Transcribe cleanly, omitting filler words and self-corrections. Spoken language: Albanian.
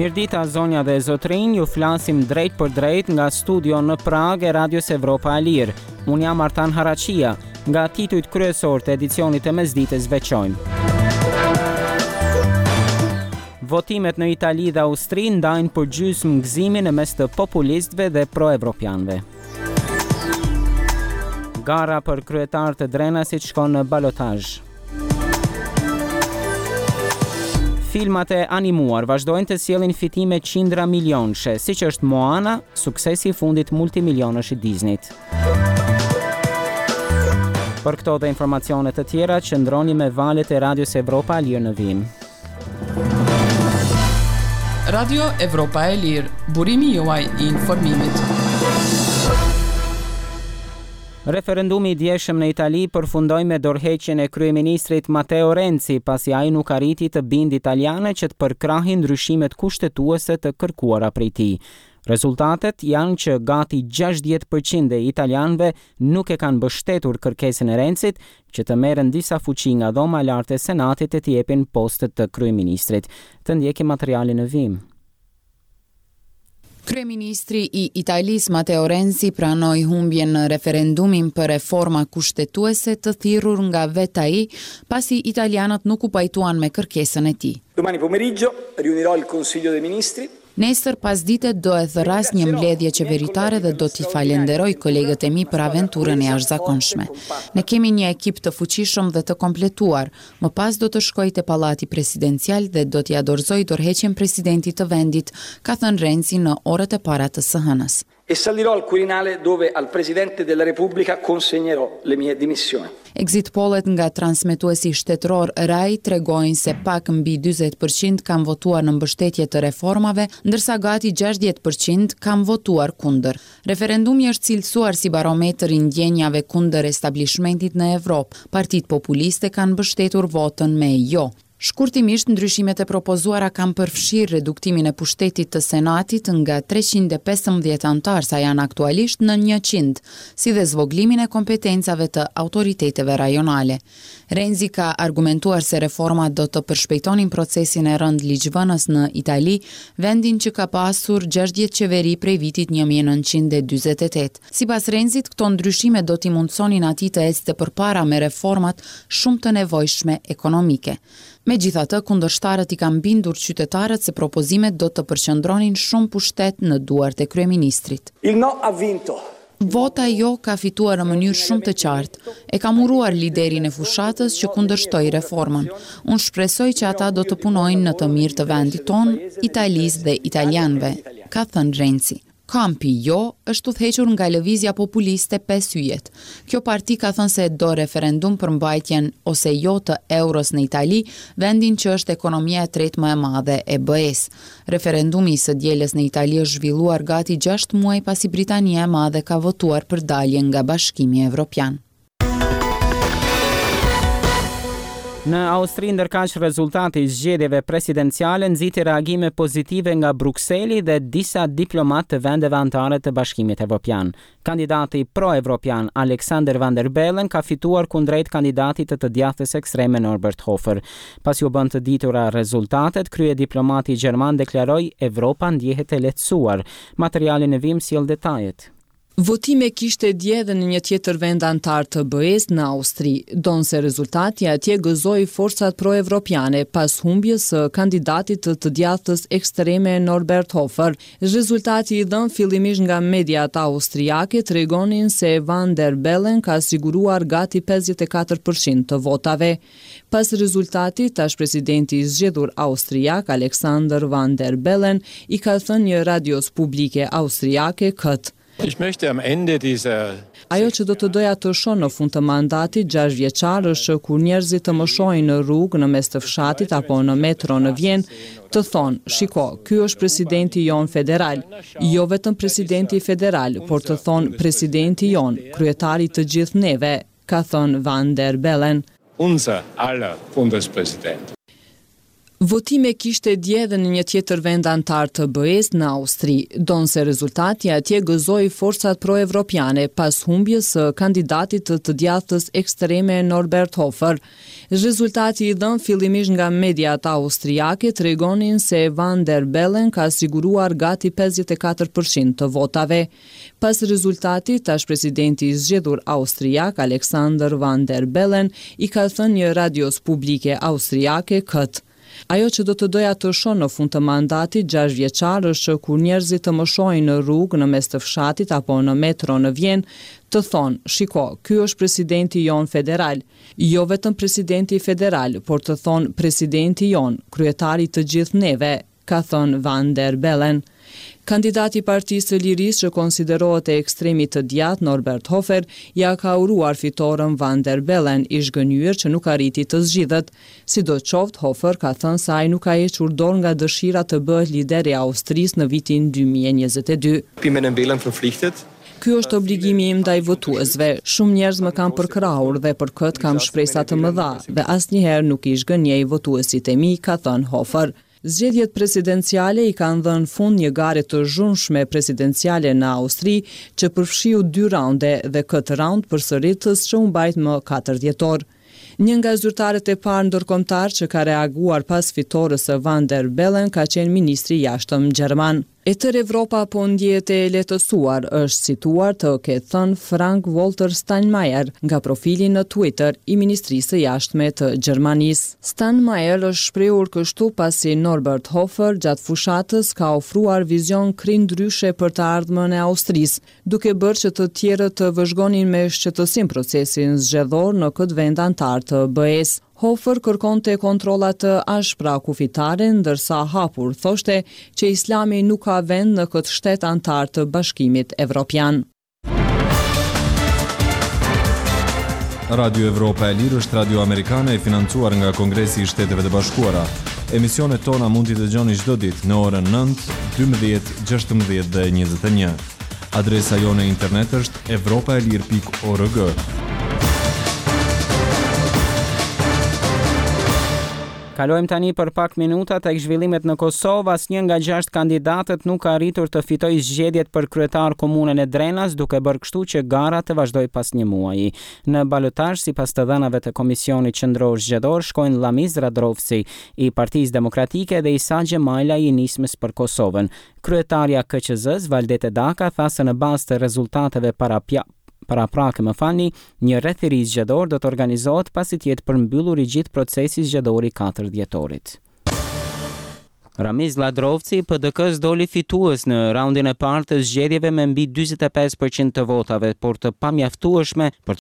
Mirëdita zonja dhe zotërinj, ju flasim drejtpërdrejt nga studio në Pragë e Radios Evropa e Lirë. Unë jam Artan Haraqia. Nga titujt kryesorë të edicionit të mesditës veçojmë. Votimet në Itali dhe Austri ndajnë përgjysmë gëzimin në mes të populistëve dhe proevropianëve. Gara për kryetar të Drenasit shkon në balotazh. Filmat e animuar vazhdojnë të sjellin fitime qindra milionëshe, siç është Moana, suksesi i fundit multimilionësh i Disney-t. Për këto dhe informacione të tjera, qëndroni me valët e Radios Evropa e Lirë në vijim. Radio Evropa e Lirë, burimi juaj i informimit. Referendumi i djeshëm në Itali përfundoi me dorëheqjen e kryeministrit Matteo Renzi, pasi ai nuk arriti të bindë italianët që të përkrahin ndryshimet kushtetuese të kërkuara prej tij. Rezultatet janë që gati 60 për qind e italianëve nuk e kanë mbështetur kërkesën e Renzit që të merren disa fuqi nga Dhoma e Lartë e Senatit e t'i jepin postet të kryeministrit. Të ndjekim materialin në vijim. Kryeministri i Italisë Matteo Renzi pranoi humbjen në referendumin për reforma kushtetuese të thirrur nga vetë ai, pasi italianët nuk u pajtuan me kërkesën e tij. Domani pomeriggio riunirò il Consiglio dei Ministri. Nesër pasdite do e thërras një mbledhje qeveritare dhe do t'i falenderoj kolegët e mi për aventurën e jashtëzakonshme. Ne kemi një ekip të fuqishëm dhe të kompletuar. Më pas do të shkoj te Pallati Presidencial dhe do t'ia dorëzoj dorëheqjen presidentit të vendit, ka thënë Renzi në orët e para të së hënës. E salirò al Quirinale dove al Presidente della Repubblica consegnerò le mie dimissioni. Exit pollet nga transmetuesi shtetëror Rai tregojnë se pak mbi 40 për qind kanë votuar në mbështetje të reformave, ndërsa gati 60 për qind kanë votuar kundër. Referendumi është cilësuar si barometër i ndjenjave kundër establishmentit në Evropë. Partitë populiste kanë mbështetur votën me jo. Shkurtimisht, ndryshimet e propozuara kanë përfshirë reduktimin e pushtetit të Senatit nga 315 anëtarë sa janë aktualisht në 100, si dhe zvogëlimin e kompetencave të autoriteteve rajonale. Renzi ka argumentuar se reformat do të përshpejtonin procesin e rëndë ligjvënës në Itali, vendin që ka pasur 60 qeveri prej vitit 1948. Sipas Renzit, këto ndryshime do t'i mundësonin atij të ecte përpara me reformat shumë të nevojshme ekonomike. Megjithatë, kundërshtarët i kanë bindur qytetarët se propozimet do të përqendronin shumë pushtet në duart e kryeministrit. Il no ha vinto. Vota jo ka fituar në mënyrë shumë të qartë. E kam uruar liderin e fushatës që kundërshtoi reformën. Unë shpresoj që ata do të punojnë në të mirë të vendit tonë, Italisë dhe italianëve, ka thënë Renzi. Kampi jo është udhëhequr nga lëvizja populiste Pesë Yjet. Kjo parti ka thënë se do referendum për mbajtjen ose jo të euros në Itali, vendin që është ekonomia e tretë më e madhe e BE-së. Referendumi i së dielës në Itali është zhvilluar gati 6 muaj pasi Britania e Madhe ka votuar për daljen nga Bashkimi Evropian. Në Austri ndërkaq rezultati i zgjedhjeve presidenciale nxiti reagime pozitive nga Brukseli dhe disa diplomatë të vendeve anëtare të Bashkimit Evropian. Kandidati pro-evropian Alexander Van der Bellen ka fituar kundrejt kandidatit të të djathtës ekstreme Norbert Hofer. Pasi u bënë të ditura rezultatet, kryediplomati gjerman deklaroi Evropa ndjehet e lehtësuar. Materiali në vijim sjell detajet. Votime kishte dje edhe në një tjetër vend anëtar të BE-së në Austri, ndonëse rezultati atje gëzoi forcat pro-evropiane pas humbjes së kandidatit të të djathtës ekstreme Norbert Hofer. Rezultati i dhënë fillimisht nga mediat austriake tregonin se Van der Bellen ka siguruar gati 54 për qind të votave. Pas rezultatit, tash presidenti i zgjedhur austriak Alexander Van der Bellen i ka thënë një radios publike austriake këtë. Ich möchte am Ende dieser Ajo që do të doja të shoh në fund të mandatit 6 vjeçar është që kur njerëzit të më shohin në rrugë në mes të fshatit apo në metro në Vjenë, të thonë, shiko, ky është presidenti jonë federal. Jo vetëm presidenti federal, por të thonë presidenti jonë, kryetari të gjithë neve, ka thënë Van der Bellen. Unser aller Bundespräsident. Votime kishte dje edhe në një tjetër vend anëtar të BE-së, në Austri. Ndonëse rezultati atje gëzoi forcat pro-evropiane pas humbjes së kandidatit të të djathtës ekstreme Norbert Hofer. Rezultati i dhënë fillimisht nga mediat austriake tregonin se Van der Bellen ka siguruar gati 54 për qind të votave. Pas rezultatit, tash presidenti i zgjedhur austriak, Alexander Van der Bellen, i ka thënë një radios publike austriake këtë, Ajo që do të doja të shoh në fund të mandatit gjashtëvjeçar është që kur njerëzit të më shohin në rrugë në mes të fshatit apo në metro në Vjenë, të thonë, shiko, ky është presidenti jonë federal. Jo vetëm presidenti federal, por të thonë presidenti jonë, kryetari i të gjithë neve. ka thënë Van der Bellen. Kandidati i Partisë së Lirisë që konsiderohet e ekstremit të djathtë, Norbert Hofer, ia ka uruar fitoren Van der Bellen, i zhgënjyer që nuk arriti të zgjidhet. Sidoqoftë, Hofer ka thënë se ai nuk ka hequr dorë nga dëshira të bëhet lider i Austrisë në vitin 2022. Bin meinen Wählern verpflichtet. Ky është obligimi im ndaj votuesve. Shumë njerëz më kanë përkrahur dhe për këtë kam shpresa të mëdha dhe asnjëherë nuk i zhgënjej votuesit e mi, ka thënë Hofer. Zgjedhjet presidenciale i kanë dhënë fund një gare të zhurmshme presidenciale në Austri, që përfshiu dy raunde dhe këtë raund përsëritës që u mbajt më katër dhjetor. Një nga zyrtarët e parë ndërkombëtarë që ka reaguar pas fitores së Van der Bellen ka qenë ministri i Jashtëm gjerman. E tërë Evropa po ndjehet e lehtësuar, është cituar të ketë thënë Frank-Walter Steinmeier nga profili në Twitter i Ministrisë së Jashtme të Gjermanisë. Steinmeier është shprehur kështu pasi Norbert Hofer gjatë fushatës ka ofruar vizion krejt ndryshe për të ardhmen e Austrisë, duke bërë që të tjerët të vëzhgonin me shqetësim procesin zgjedhor në këtë vend anëtar të BE-së. Hofer kërkonte kontrolla të ashpra kufitare, ndërsa hapur thoshte që Islami nuk ka vend në këtë shtet anëtar të Bashkimit Evropian. Radio Evropa e Lirë është radio amerikane e financuar nga Kongresi i Shteteve të Bashkuara. Emisionet tona mund t'i dëgjoni çdo ditë në orën 9, 12, 16 dhe 21. Adresa jonë e internet është evropaelire.org. Kalojmë tani për pak minuta tek zhvillimet në Kosovë. Asnjë nga gjashtë kandidatët nuk ka arritur të fitojë zgjedhjet për kryetar komunën e Drenas, duke bërë kështu që gara të vazhdojë pas një muaji. Në balotazh, sipas të dhënave të Komisionit Qendror Zgjedhor, shkojnë Ramiz Lladrovci i Partisë Demokratike dhe Isa Xhemajlaj i Nismës për Kosovën. Kryetarja e KQZ-së, Valdete Daka, tha se në bazë të rezultateve paraprake, më falni, një rreth i ri zgjedhor do të organizohet pasi të jetë përmbyllur i gjithë procesi zgjedhor i katër dhjetorit. Ramiz Lladrovci i PDK-së doli fitues në raundin e parë të zgjedhjeve me mbi 45 për qind të votave, por të pamjaftueshme për.